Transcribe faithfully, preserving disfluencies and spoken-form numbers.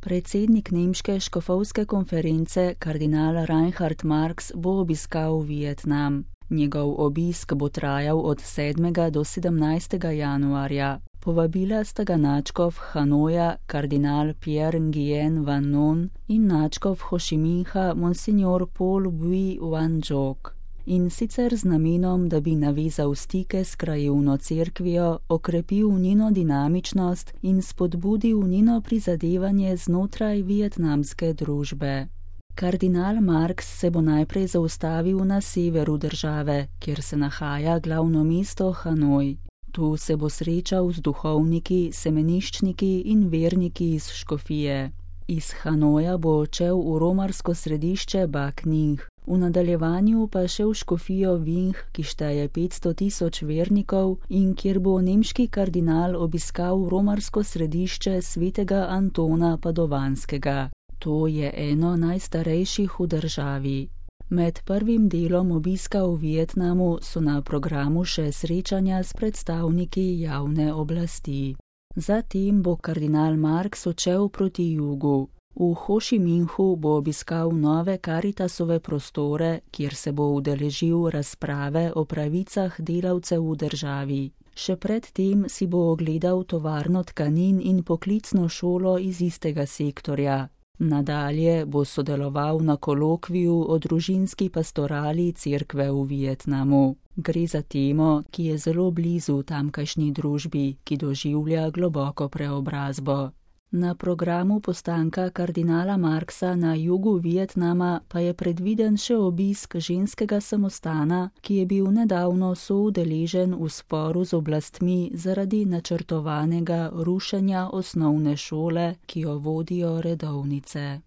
Predsednik nemške škofovske konference kardinal Reinhard Marx bo obiskal Vietnam. Njegov obisk bo trajal od sedmega do sedemnajstega januarja. Povabila sta ga nadškof Hanoja kardinal Pierre Nguyen Van Non in nadškof Hošiminha monsignor Paul Bui Van Jok. In sicer z namenom, da bi navezal stike s krajevno cerkvijo, okrepil njeno dinamičnost in spodbudil njeno prizadevanje znotraj vietnamske družbe. Kardinal Marx se bo najprej zaustavil na severu države, kjer se nahaja glavno mesto Hanoj. Tu se bo srečal z duhovniki, semeniščniki in verniki iz škofije. Iz Hanoja bo odšel v romarsko središče Bac Ninh, v nadaljevanju pa še v škofijo Vinh, ki šteje petsto tisoč vernikov in kjer bo nemški kardinal obiskal romarsko središče svetega Antona Padovanskega. To je eno najstarejših v državi. Med prvim delom obiska v Vietnamu so na programu še srečanja s predstavniki javne oblasti. Zatem bo kardinal Marx odšel proti jugu. V Hošiminhu bo obiskal nove Caritasove prostore, kjer se bo udeležil razprave o pravicah delavcev v državi. Še pred tem si bo ogledal tovarno tkanin in poklicno šolo iz istega sektorja. Nadalje bo sodeloval na kolokviju o družinski pastorali cerkve v Vietnamu. Gre za temo, ki je zelo blizu tamkajšnji družbi, ki doživlja globoko preobrazbo. Na programu postanka kardinala Marxa na jugu Vietnama pa je predviden še obisk ženskega samostana, ki je bil nedavno soudeležen v sporu z oblastmi zaradi načrtovanega rušenja osnovne šole, ki jo vodijo redovnice.